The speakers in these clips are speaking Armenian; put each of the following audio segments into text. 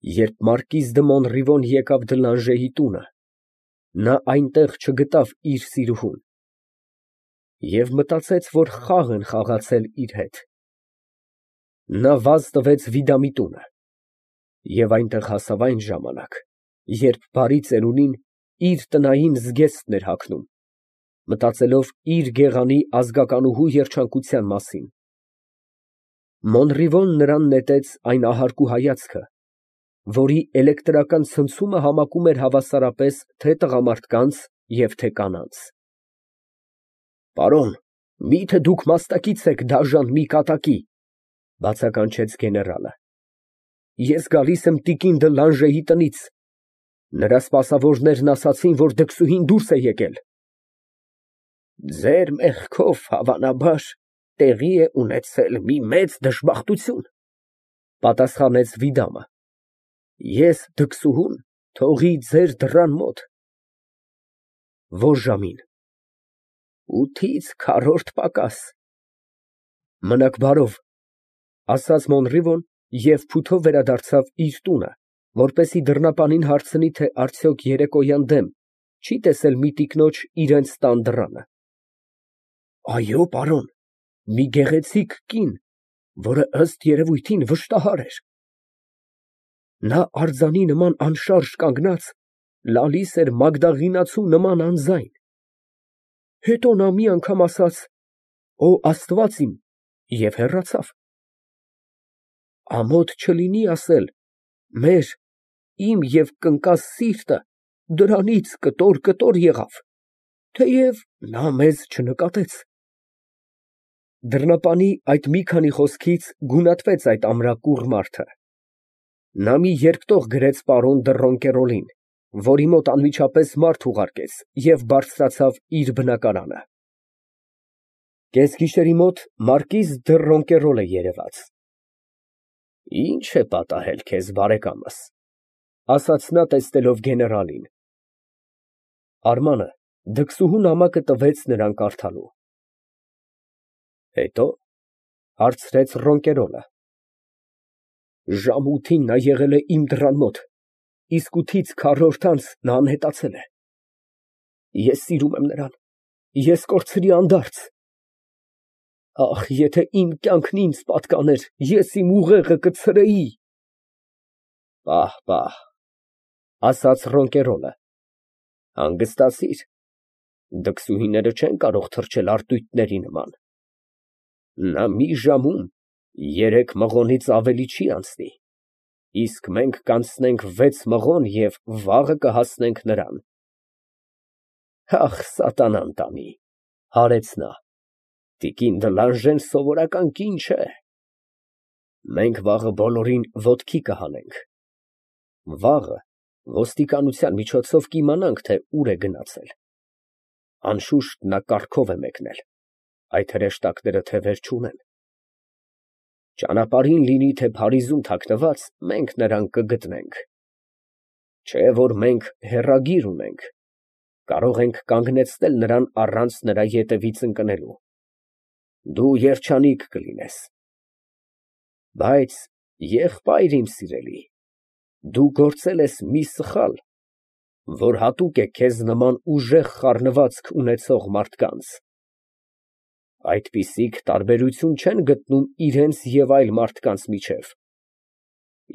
Երբ մարկիզ դը Մոնրիվոն եկավ Դլանժեի տունը, նա այնտեղ չգտավ իր սիրուհուն և մտածեց, որ խաղ են խաղացել իր հետ. նա վազ տվեց Վիդամի տունը և այնտեղ հասավ այն ժամանակ, երբ բարի ծերունին իր տնային զգեստն էր հագնում, մտածելով իր գեղանի ազգականուհու երջանկության մասին։ Մոնրիվոն նրան նետեց այն ահարկու հայացքը, որի էլեկտրական ցնցումը համակում էր հավասարապես թե տղամարդկանց և թե կանանց։ «Պարոն, մի՞թե դուք մասնակից եք դաժան մի կատակի», ֊ բացականչեց գեներալը։ «Ես գալիս եմ տիկին դը Լանժեի տնից. նրա սպասավորներն ասացին, որ դքսուհին դուրս է եկել»։ «Ձեր մեղքով, հավանաբար, տեղի է ունեցել մի մեծ դժբախտություն», ֊ պատասխանեց Վիդամը։ «Ես դքսուհուն թողի ձեր դռան մոտ»։ «Ո՞ր ժամին»։ «8-ից 4 պակաս»։ «Մնաք բարով», ֊ ասաց Մոնրիվոն և փութով վերադարձավ իր տունը, որպեսզի դռնապանին հարցնի, թե արդյոք երեկոյան դեմ չի տեսել մի տիկնոջ իրենց տան դռանը։ «Այո, պարոն, մի գեղեցիկ կին, որը ըստ երևույթին վշտահար էր»։ «Նա արձանի նման անշարժ կանգնած, լալիս էր մագդաղինացու նման անձայն։ Հետո նա մի անգամ ասաց. «Օ Աստված իմ» և հեռացավ։ Ամոթ չլինի ասել, մեր, իմ և կնկաս սիրտը դրանից կտոր եղավ, թեև նա մեզ չնկատեց»։ Դռնապանի այդ մի քանի խոսքից գունատվեց այդ ամրակուռ մարդը։ Նա մի երկտող գրեց պարոն դը Ռոնկերոլին, որի մոտ անմիջապես մարդ ուղարկեց և բարձրացավ իր բնակարանը։ Կեսգիշերի մոտ մարկիզ դը Ռոնկերոլը երևաց։ «Ի՞նչ է պատահել քեզ, բարեկամս», ֊ ասաց նա, տեսնելով գեներալին։ Արմանը դքսուհու նամակը տվեց նրան կարդալու։ «Հետո՞, ֊ հարցրեց Ռոնկերոլը։ «Ժամը 8-ին նա եղել է իմ դռան մոտ, իսկ 8-ից 4 անց նա անհետացել է։ Ես սիրում եմ նրան, ես կորցրի անդարձ։ Ախ, եթե իմ կյանքն ինձ պատկաներ, ես իմ ուղեղը կցրեի»։ «Պահ, պահ», ֊ ասաց Ռոնկերոլը, «հանգստացիր, դքսուհիները չեն կարող թռչել արծույթների նման։ Նա մի ժամում 3 մղոնից ավելի չի անցնի, իսկ մենք կանցնենք 6 մղոն և վաղը կհասնենք նրան»։ «Ախ, սատանան տանի», ֊ հարեց նա, «տիկին դը Լանժեն սովորական կին չէ։ Մենք վաղը բոլորին ոտքի կհանենք։ Վաղը ոստիկանության միջոցով կիմանանք, թե ուր է գնացել։ Անշուշտ նա կառքով է մեկնել, այդ հրեշտակները թևեր չունեն։ Ճանապարհին լինի թե Փարիզում թաքնված, մենք նրան կգտնենք։ Չէ որ մենք հեռագիր ունենք, կարող ենք կանգնեցնել նրան առանց նրա ետևից ընկնելու։ Դու երջանիկ կլինես։ Բայց, եղբայր իմ սիրելի, դու գործել ես մի սխալ, որ հատուկ է քեզ նման ուժեղ խառնվածք ունեցող մարդկանց։ Այդպիսիք տարբերություն չեն գտնում իրենց և այլ մարդկանց միջև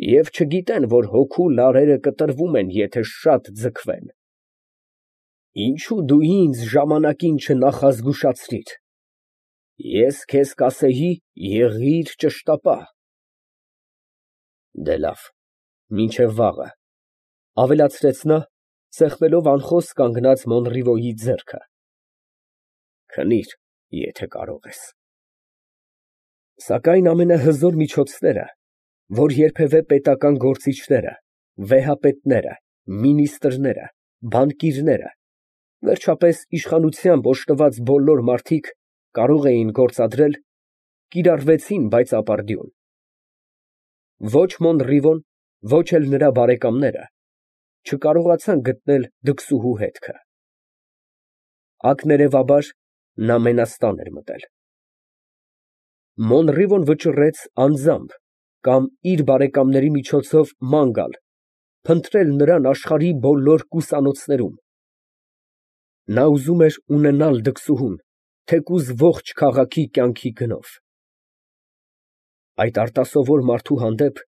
և չգիտեն, որ հոգու լարերը կտրվում են, եթե շատ ձգվեն։ Ինչո՞ւ դու ինձ ժամանակին չնախազգուշացրիր։ Ես քեզ կասեի, եղիր ճշտապահ։ Դե լավ, մինչև վաղը, ֊ ավելացրեց նա, սեղմելով անխոս կանգնած Մոնրիվոյի ձեռքը։ Քնիր, եթե կարող ես։ Սակայն ամենահզոր միջոցները, որ երբևէ պետական գործիչները, վեհապետները, մինիստրները, բանկիրները, վերջապես իշխանությամբ օժտված բոլոր մարդիկ կարող էին գործադրել, կիրառվեցին, բայց ապարդյուն։ Ոչ Մոնրիվոն, ոչ էլ նրա բարեկամները չկարողացան գտնել դքսուհու հետքը։ Ակներևաբար նա մենաստան էր մտել։ Մոնրիվոն վճռեց անձամբ կամ իր բարեկամների միջոցով ման գալ, փնտրել նրան աշխարհի բոլոր կուսանոցներում։ Նա ուզում էր ունենալ դքսուհուն, թեկուզ ողջ քաղաքի կյանքի գնով։ Այդ արտասովոր մարդու հանդեպ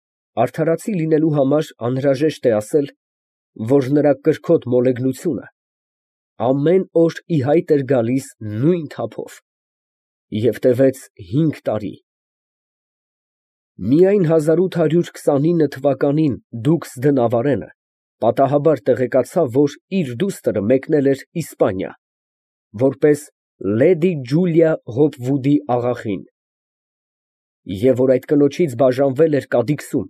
արդարացի լինելու համար անհրաժեշտ է ասել, որ նրա կրքոտ մոլեգնությունը ամեն օր ի հայտ էր գալիս նույն թափով և տևեց 5 տարի։ Միայն 1829 թվականին դուքս դը Նավարենը պատահաբար տեղեկացավ, որ իր դուստրը մեկնել էր Իսպանիա, որպես լեդի Ջուլիա Հոպվուդի աղախին, և որ այդ կնոջից բաժանվել էր կադիքսում,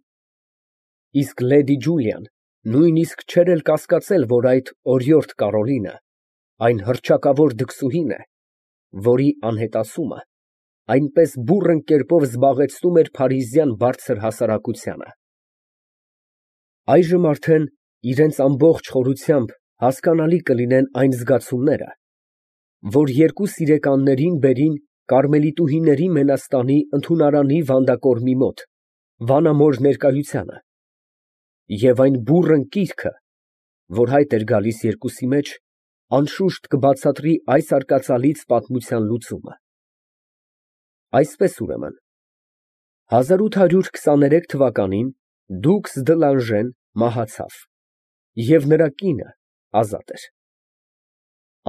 իսկ լեդի Ջուլիան նույնիսկ չէր էլ կասկածել, որ այդ օրիորդ Կարոլինը այն հռչակավոր դքսուհին է, որի անհետացումը այնպես բուռն կերպով զբաղեցնում էր փարիզյան բարձր հասարակությանը։ Այժմ արդեն իրենց ամբողջ խորությամբ հասկանալի կլինեն այն զգացումները, որ երկու սիրեկաններին բերին կարմելիտուհիների մենաստանի ընդունարանի վանդակորմի մոտ, վանամոր ներկայությանը, և այն բուռն կիրքը, որ հայտ էր գալիս երկուսի մեջ, անշուշտ կբացատրի այս արկածալից պատմության լուծումը։ Այսպես ուրեմն, 1823 թվականին դուքս դը Լանժեն մահացավ, և նրա կինը ազատ էր։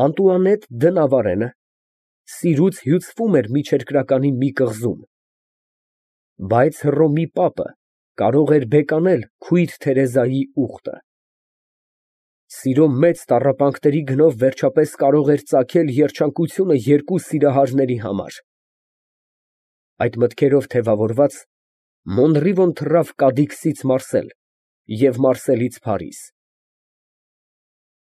Անտուանետ դը Նավարենը սիրուց հյուծվում էր միջերկրականի մի կղզում, բայց Հռոմի պապը կարող էր բեկանել քույր Թերեզայի ուխտը։ Սիրո մեծ տառապանքների գնով վերջապես կարող էր ծագել երջանկությունը երկու սիրահարների համար։ Այդ մտքերով թևավորված, Մոնրիվոն թռավ Կադիքսից Մարսել և Մարսելից Փարիզ։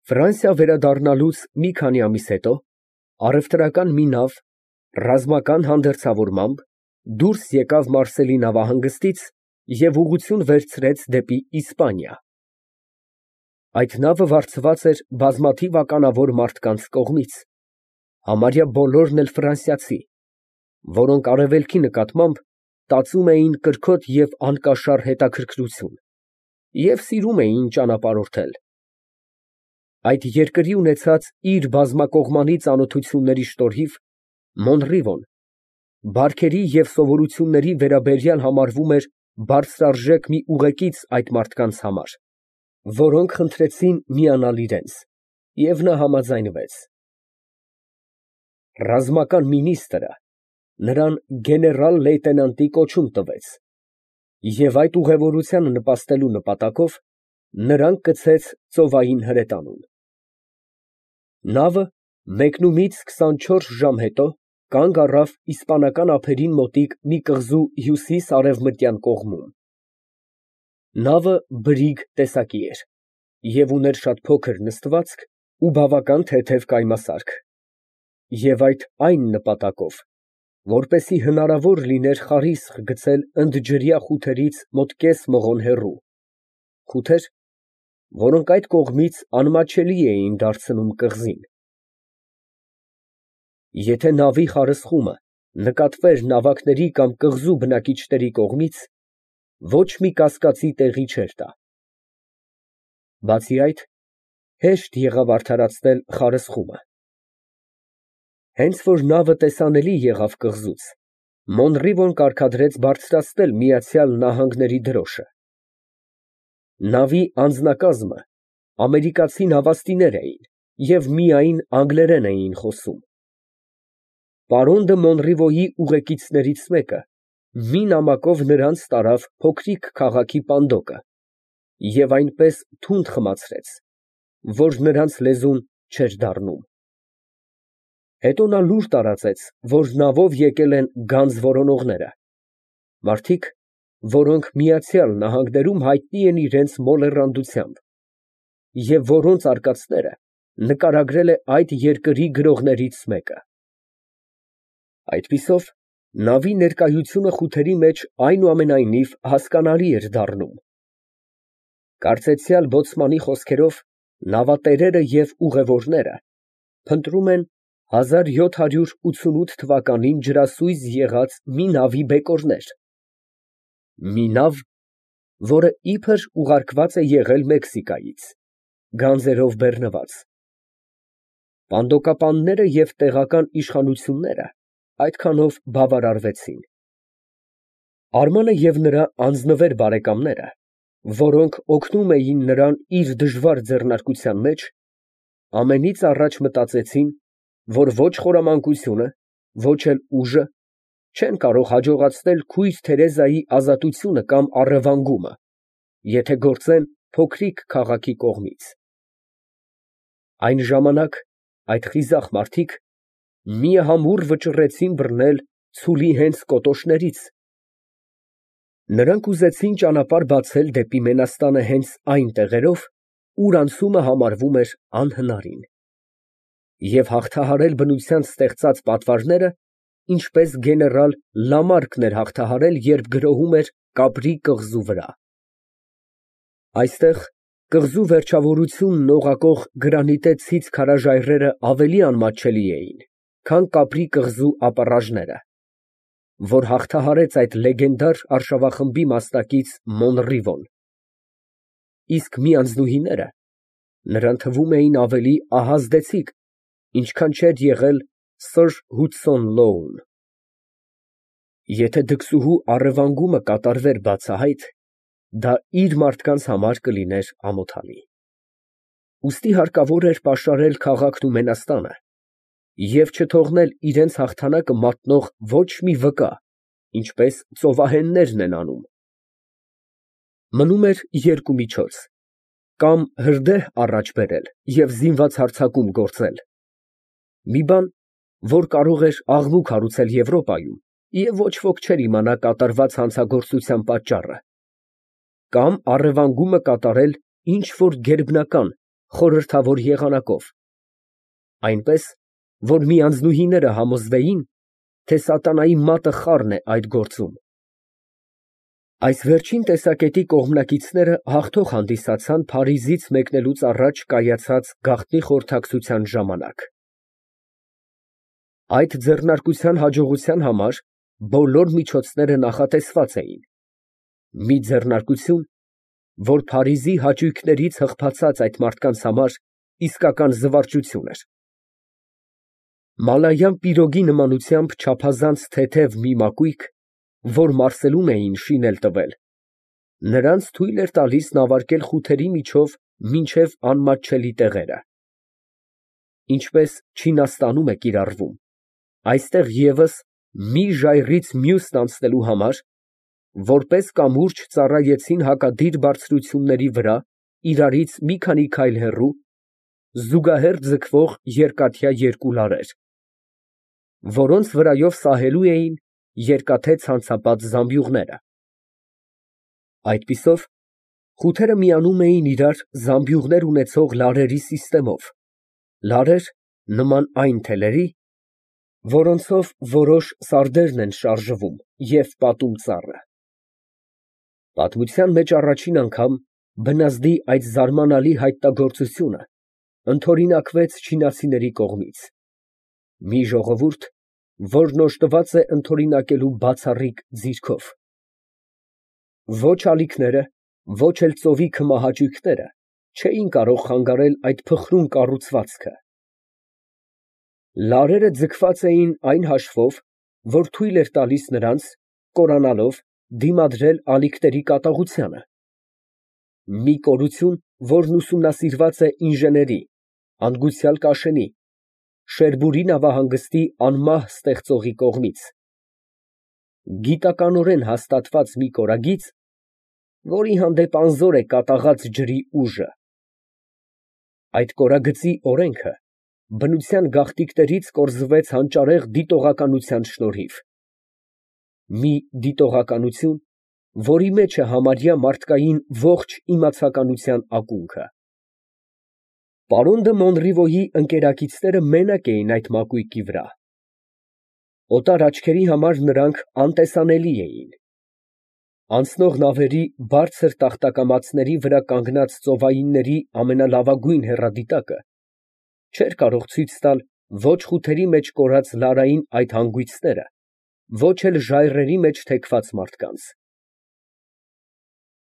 Ֆրանսիա վերադառնալուց մի քանի ամիս հետո առևտրական մի նավ ռազմական հանդերձավորմամբ դուրս եկավ Մարսելի նավահանգստից և ուղղություն վերցրեց դեպի Իսպանիա։ Այդ նավը վարձված էր բազմաթիվ ականավոր մարդկանց կողմից, համարյա բոլորն էլ ֆրանսիացի, որոնք արևելքի նկատմամբ տածում էին կրքոտ և անկաշառ հետաքրքրություն և սիրում էին ճանապարհորդել։ Այդ երկրի ունեցած իր բազմակողմանի ծանոթությունների շնորհիվ Մոնրիվոն բարքերի և սովորությունների վերաբերյալ համարվում էր բարձրարժեք մի ուղեկից այդ մարդկանց համար, որոնք խնդրեցին միանալ իրենց, և նա համաձայնվեց։ Ռազմական մինիստրը նրան գեներալ֊լեյտենանտի կոչում տվեց և այդ ուղևորությանը նպաստելու նպատակով նրան կցեց ծովային հրետանուն։ Նավը մեկնումից 24 ժամ հետո կանգ առավ իսպանական ափերին մոտիկ մի կղզու հյուսիս֊արևմտյան կողմում։ Նավը բրիգ տեսակի էր և ուներ շատ փոքր նստվածք ու բավական թեթև կայմասարք, և այդ այն նպատակով, որպեսզի հնարավոր լիներ խարիսխ գցել ընդջրյա խութերից մոտ կես մղոն հեռու, խութեր, որոնք այդ կողմից անմատչելի էին դարձնում կղզին։ Եթե նավի խարսխումը նկատվեր նավակների կամ կղզու բնակիչների կողմից, ոչ մի կասկածի տեղի չէր տա։ Բացի այդ, հեշտ եղավ արդարացնել խարսխումը։ Հենց որ նավը տեսանելի եղավ կղզուց, Մոնրիվոն կարգադրեց բարձրացնել Միացյալ Նահանգների դրոշը։ Նավի անձնակազմը ամերիկացի նավաստիներ էին և միայն անգլերեն էին խոսում։ Պարոն դը Մոնրիվոյի ուղեկիցներից մեկը մի նամակով նրանց տարավ փոքրիկ քաղաքի պանդոկը և այնպես թունդ խմացրեց, որ նրանց լեզուն չէր դառնում։ Հետո նա լուր տարածեց, որ նավով եկել են գանձ որոնողները, մարդիկ, որոնք Միացյալ Նահանգներում հայտնի են իրենց մոլեռանդությամբ և որոնց արկածները նկարագրել է այդ երկրի գրողներից մեկը։ Այդպիսով նավի ներկայությունը խութերի մեջ այնուամենայնիվ հասկանալի էր դառնում։ Կարծեցյալ բոցմանի խոսքերով, նավատերերը և ուղևորները փնտրում են 1788 թվականին ջրասույզ եղած մի նավի բեկորներ, Մի նավ, որը իբր ուղարկված է եղել Մեքսիկայից, գանձերով բեռնված։ Պանդոկապանները և տեղական իշխանությունները այդքանով բավարարվեցին։ Արմանը և նրա անձնվեր բարեկամները, որոնք օգնում էին նրան իր դժվար ձեռնարկության մեջ, ամենից առաջ մտածեցին, որ ոչ խորամանկությունը, ոչ էլ ուժը չեն կարող հաջողացնել քույր Թերեզայի ազատությունը կամ առևանգումը, եթե գործեն փոքրիկ քաղաքի կողմից։ Այն ժամանակ այդ խիզախ մարդիկ միամուռ վճռեցին բռնել ցուլի հենց կոտոշներից։ Նրանք ուզեցին ճանապարհ բացել դեպի Մենաստանը հենց այն տեղերով, ուր անցումը համարվում էր անհնարին, և հաղթահարել բնության ստեղծած պատվարները, ինչպես գեներալ Լամարկն էր հաղթահարել, երբ գրոհում էր Կապրի կղզու վրա։ Այստեղ կղզու վերջավորությունն օղակող գրանիտե ցից քարաժայռերը ավելի անմատչելի էին, քան Կապրի կղզու ապառաժները, որ հաղթահարեց այդ լեգենդար արշավախմբի մասնակից Մոնռիվոն, իսկ մի անձնուհիները նրան թվում էին ավելի ահազդեցիկ, ինչքան չէր եղել սըր Հուդսոն Լոուն։ Եթե դքսուհու առևանգումը կատարվեր բացահայտ, դա իր մարդկանց համար կլիներ ամոթալի։ Ուստի հարկավոր էր պաշարել քաղաքն ու Մենաստանը և չթողնել իրենց հաղթանակը մատնող ոչ մի վկա, ինչպես ծովահեններն են անում։ Մնում էր երկու միջոց. կամ հրդեհ առաջ բերել և զինված հարձակում գործել, մի բան, որ կարող էր աղմուկ հարուցել Եվրոպայում, և ոչ ոք չէր իմանա կատարված հանցագործության պատճառը, կամ առևանգումը կատարել ինչ֊որ գերբնական, խորհրդավոր եղանակով, այնպես, որ մի անձնուհիները համոզվեին, թե սատանայի մատը խառն է այդ գործում։ Այս վերջին տեսակետի կողմնակիցները հաղթող հանդիսացան Փարիզից մեկնելուց առաջ կայացած գաղտնի խորհրդակցության ժամանակ։ Այդ ձեռնարկության հաջողության համար բոլոր միջոցները նախատեսված էին, մի ձեռնարկություն, որ Փարիզի հաճույքներից հղկացած այդ մարդկանց համար իսկական զվարճություն էր։ Մալայան պիրոգի նմանությամբ չափազանց թեթև մի մակույկ, որ Մարսելում էին շինել տվել, նրանց թույլ էր տալիս նավարկել խութերի միջով մինչև անմատչելի տեղերը։ Ինչպես Չինաստանում է կիրառվում, այստեղ ևս մի ժայռից մյուսն անցնելու համար, որպես կամուրջ ծառայեցին հակադիր բարձրությունների վրա իրարից մի քանի քայլ հեռու, զուգահեռ ձգվող երկաթյա երկու լարեր, որոնց վրայով սահելու էին երկաթե ցանցապատ զամբյուղները։ Այդպիսով խութերը միանում էին իրար զամբյուղներ ունեցող լարերի սիստեմով, նման այն թելերի, որոնցով որոշ սարդերն են շարժվում և պատում ծառը։ Պատմության մեջ առաջին անգամ բնազդի այդ զարմանալի հայտնագործությունը ընդօրինակվեց չինացիների կողմից, մի ժողովուրդ, որն օժտված է ընդօրինակելու բացառիկ ձիրքով։ Ոչ ալիքները, ոչ էլ ծովի քմահաճույքները չէին կարող խանգարել այդ փխրուն կառուցվածքը։ Լարերը ձգված էին այն հաշվով, որ թույլ էր տալիս նրանց, կորանալով, դիմադրել ալիքների կատաղությանը, մի կորություն, որն ուսումնասիրված է ինժեների, հանգուցյալ Կաշենի, Շերբուրի նավահանգստի անմահ ստեղծողի կողմից, գիտականորեն հաստատված մի կորագիծ, որի հանդեպ անզոր է կատաղած ջրի ուժը։ Այդ կորագծի օրենքը բնության գաղտնիքներից կորզվեց հանճարեղ դիտողականության շնորհիվ, մի դիտողականություն, որի մեջ է համարյա մարդկային ողջ իմացականության ակունքը։ Պարոն դը Մոնռիվոյի ընկերակիցները մենակ էին այդ մակույկի վրա։ Օտար աչքերի համար նրանք անտեսանելի էին։ Անցնող նավերի բարձր տախտակամածների վրա կանգնած ծովայինների ամենալավագույն հեռադիտակը չէր կարող ցույց տալ ոչ խութերի մեջ կորած լարային այդ հանգույցները, ոչ էլ ժայռերի մեջ թեքված մարդկանց։